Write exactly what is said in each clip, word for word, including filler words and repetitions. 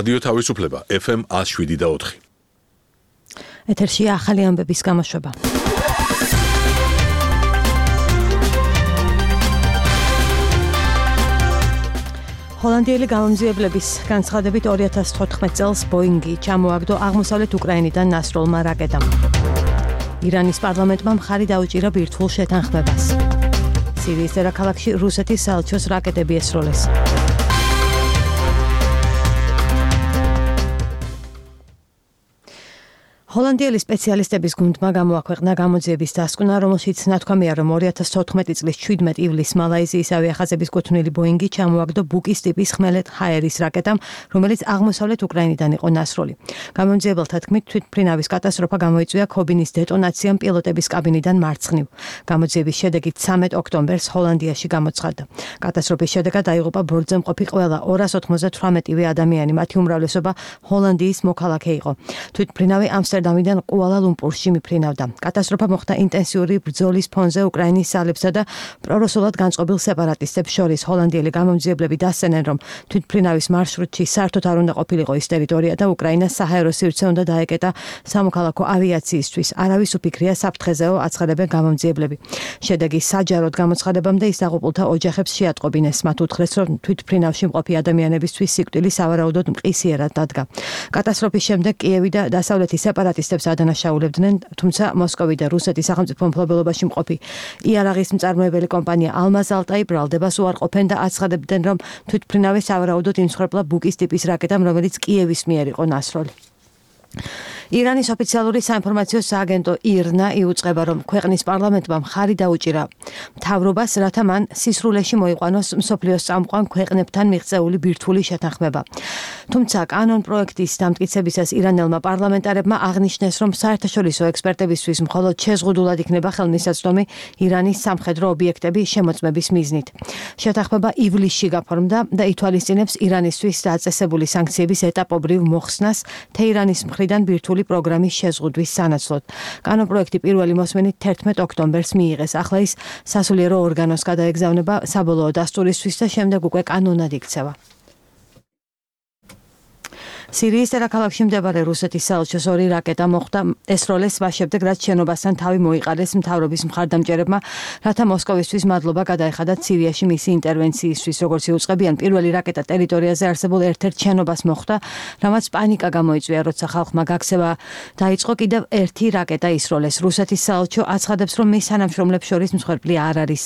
რადიო თავისუფლება ეფ ემ one oh seven და four. ეთერშია ახალი ამბების გამოშვება. ჰოლანდიელი გამომძიებლების განცხადებით ორი ათას თოთხმეტ წელს ბოინგი ჩამოაგდო აღმოსავლეთ უკრაინიდან ნასროლმა რაკეტამ. ირანის პარლამენტმა მხარი დაუჭირა ბირთვულ შეთანხმებას. სირიის დედაქალაქში რუსეთის საელჩოს რაკეტები ესროლეს. ჰოლანდიელი სპეციალისტების გუნდმა გამოაქვეყნა გამოძიების დასკვნა, რომელშიც ნათქვამია, რომ ორი ათას თოთხმეტი წლის შვიდმეტ ივლისს მალაიზიის ავიახაზების კუთვნილი ბოინგი ჩამოაგდო ბუკის ტიპის ხმელეთ ჰაერის რაკეტამ, რომელიც აღმოსავლეთ უკრაინიდან იყო ნასროლი. გამომძიებელთა თქმით, თვითმფრინავის კატასტროფა გამოიწვია ქობინის დეტონაციამ პილოტების კაბინიდან მარცხნივ. გამოძიების შედეგით ცამეტ ოქტომბერს ჰოლანდიაში გამოცხადდა. კატასტროფის შედეგად დაიღუპა ბორტზე მყოფი ყველა ორას ოცდაოთხმეტივე ადამიანი, მათი უმრავლესობა ჰოლანდიის მოქალაქე იყო. თვითმფრინავი ამსტერდამიდან კუალა-ლუმპურში მიფრინავდა. კატასტროფა მოხდა ინტენსიური ბრძოლის ფონზე უკრაინის ძალებსა და პრორუსულად განწყობილ სეპარატისტებს შორის. ჰოლანდიელი გამომძიებლები დასცენენ, რომ თვითმფრინავის მარშრუტში საერთოდ არ უნდა ყოფილიყო ის ტერიტორია და უკრაინას საჰაერო სივრცე უნდა დაეკეტა სამოქალაქო ავიაციისთვის. არავის უფიქრია საფრთხეზეო, აცხადებენ გამომძიებლები. შედეგის საჯაროდ გამოცხადებამდე ის დაღუპულთა ოჯახებს შეატყობინეს. მათ უთხრეს, რომ თვითმფრინავში მყოფი ადამიანებისთვის სიკვდილი სავარაუდოდ მყისიერად დადგა. კატასტროფის შემდეგ კიევი და დასავლეთის სეპარატისტებს ადანაშაულებდნენ, თუმცა მოსკოვი და რუსეთის სახელმწიფო მფლობელობაში მყოფი იარაღის მწარმოებელი კომპანია ალმაზ-ალტაი ბრალდებას უარყოფენ და აცხადებდნენ, რომ თვითმფრინავი სავარაუდოდ იმსხვერპლა ბუკის ტიპის რაკეტამ, რომელიც კიევის მიერ იყო ნასროლი. ირანის ოფიციალური საინფორმაციო სააგენტო ირნა იუწყება, რომ ქვეყნის პარლამენტმა მხარი დაუჭირა მთავრობას, რათა მან სისრულეში მოიყვანოს მსოფლიოს წამყვან ქვეყნებთან მიღწეული ბირთვული შეთანხმება. თუმცა კანონ პროექტის დამტკიცებისას ირანელმა პარლამენტარებმა აღნიშნეს, რომ საერთაშორისო ექსპერტებისთვის მხოლოდ შეზღუდულად იქნება ხელმისაწვდომი ირანის სამხედრო ობიექტების შემოწმების მიზნით. შეთანხმება ივლისში გაფორმდა და ითვალისწინებს ირანისთვის დაწესებული სანქციების ეტაპობრივ მოხსნას თეირანის მხრიდან ბირთვული პროგრამის შეზღუდვის სანაცვლოდ. კანონპროექტი პირველი მოსმენით თერთმეტ ოქტომბერს მიიღეს. ახლა ის სასულიერო ორგანოს გადაეგზავნება საბოლოო დასტურისთვის და შემდეგ უკვე კანონად იქცევა. სირიის დედაქალაქში მდებარე რუსეთის საელჩოს ორი რაკეტა მოხვდა ესროლეს მას შემდეგ, რაც შენობასთან თავი მოიყარეს მთავრობის მხარდამჭერებმა, რათა მოსკოვისთვის მადლობა გადაეხადათ სირიაში მისი ინტერვენციისთვის. როგორც იუწყებიან, პირველი რაკეტა ტერიტორიაზე არსებულ ერთ-ერთ შენობას მოხვდა, რამაც პანიკა გამოიწვია, როცა ხალხმა გაქცევა დაიწყო. კიდევ ერთი რაკეტა ისროლეს. რუსეთის საელჩო აცხადებს, რომ მის თანამშრომლებს შორის მსხვერპლი არ არის.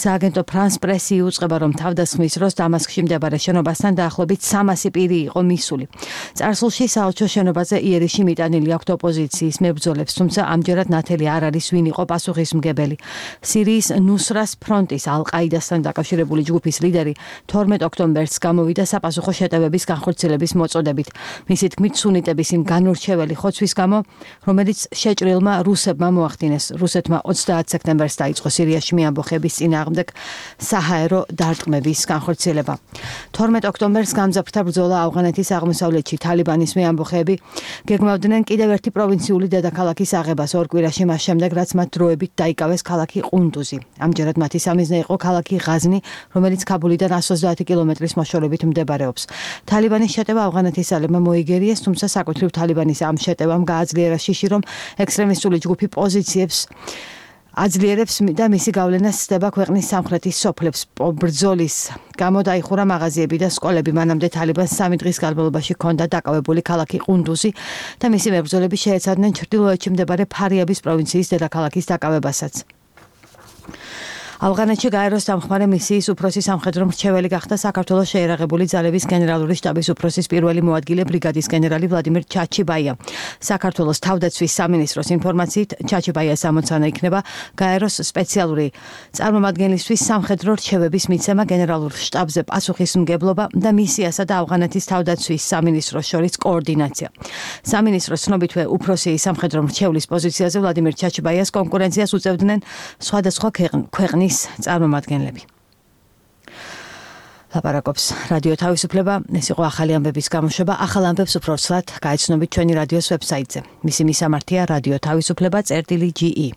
სააგენტო ფრანს პრესი იუწყება, რომ თავდასხმის დროს დამასკში მდებარე შენობასთან დაახლოებით სამასი პირი იყო მისული. წარსულში საელჩო შენობაზე იერიში მიტანილი აქვთ ოპოზიციის მებრძოლებს, თუმცა ამჯერად ნათელი არ არის, ვინ იყო პასუხისმგებელი. სირიის ნუსრას ფრონტის ალ-ყაიდასთან დაკავშირებული ჯგუფის ლიდერი თორმეტ ოქტომბერს გამოვიდა საპასუხო შეტევების განხორციელების მოწოდებით. მისი თქმით, სუნიტების იმ განურჩეველი ხოცვის გამო, რომელიც შეჭრილმა რუსებმა მოახდინეს. რუსეთმა ოცდაათ სექტემბერს დაიწყო სირიაში მეამბოხების წინააღმდეგ საჰაერო დარტყმების განხორციელება. თორმეტ ოქტომბერს გამძაფრდა ბრძოლა ავღანეთის აღმოსავლეთში. თალიბანის მეამბოხეები გეგმავდნენ კიდევ ერთი პროვინციული დედაქალაქის აღებას ორ კვირაში მას შემდეგ, რაც მათ დროებით დაიკავეს ქალაქი ყუნდუზი. ამჯერად მათი სამიზნე იყო ქალაქი ღაზნი, რომელიც ქაბულიდან εκατს ოცდაათი კილომეტრის მოშორებით მდებარეობს. თალიბანის შეტევა ავღანეთის ძალებმა მოიგერიეს, თუმცა საკუთრივ თალიბანის ამ შეტევამ გააძლიერა შიში, რომ ექსტრემისტული ჯგუფი პოზიციებს აძლიერებს და მისი გავლენა სცდება ქვეყნის სამხრეთის სოფლებს. ბრძოლის გამო დაიხურა მაღაზიები და სკოლები. მანამდე თალიბანს სამი დღის განმავლობაში ჰქონდა დაკავებული ქალაქი ყუნდუზი და მისი მებრძოლები შეეცადნენ ჩრდილოეთში მდებარე ფარიაბის პროვინციის დედაქალაქის დაკავებასაც. ავღანეთში გაეროს დამხმარე მისიის უფროსი სამხედრო მრჩეველი გახდა საქართველოს შეერაღებული ძალების გენერალური შტაბის უფროსის პირველი მოადგილე ბრიგადის გენერალი ვლადიმერ ჩაჩიბაია. საქართველოს თავდაცვის სამინისტროს ინფორმაციით, ჩაჩიბაიას ამოცანა იქნება გაეროს სპეციალური წარმომადგენლისთვის სამხედრო რჩევების მიცემა გენერალურ შტაბზე პასუხისმგებლობა და მისიასა და ავღანეთის თავდაცვის სამინისტროს შორის კოორდინაცია. სამინისტროს ცნობითვე უფროსი სამხედრო მრჩევლის პოზიციაზე ვლადიმერ ჩაჩიბაიას კონკურენციას უწევდნენ სხვადასხვა ქვეყნის წარმომადგენლები. ლაპარაკობს რადიო თავისუფლება, ეს იყო ახალი ამბების გამოშვება. ახალ ამბებს უფრო ცლად გაიცნობთ ჩვენი რადიოს ვებსაიტზე. მისი მისამართია რადიო თავისუფლება წერტილი ჯი ი.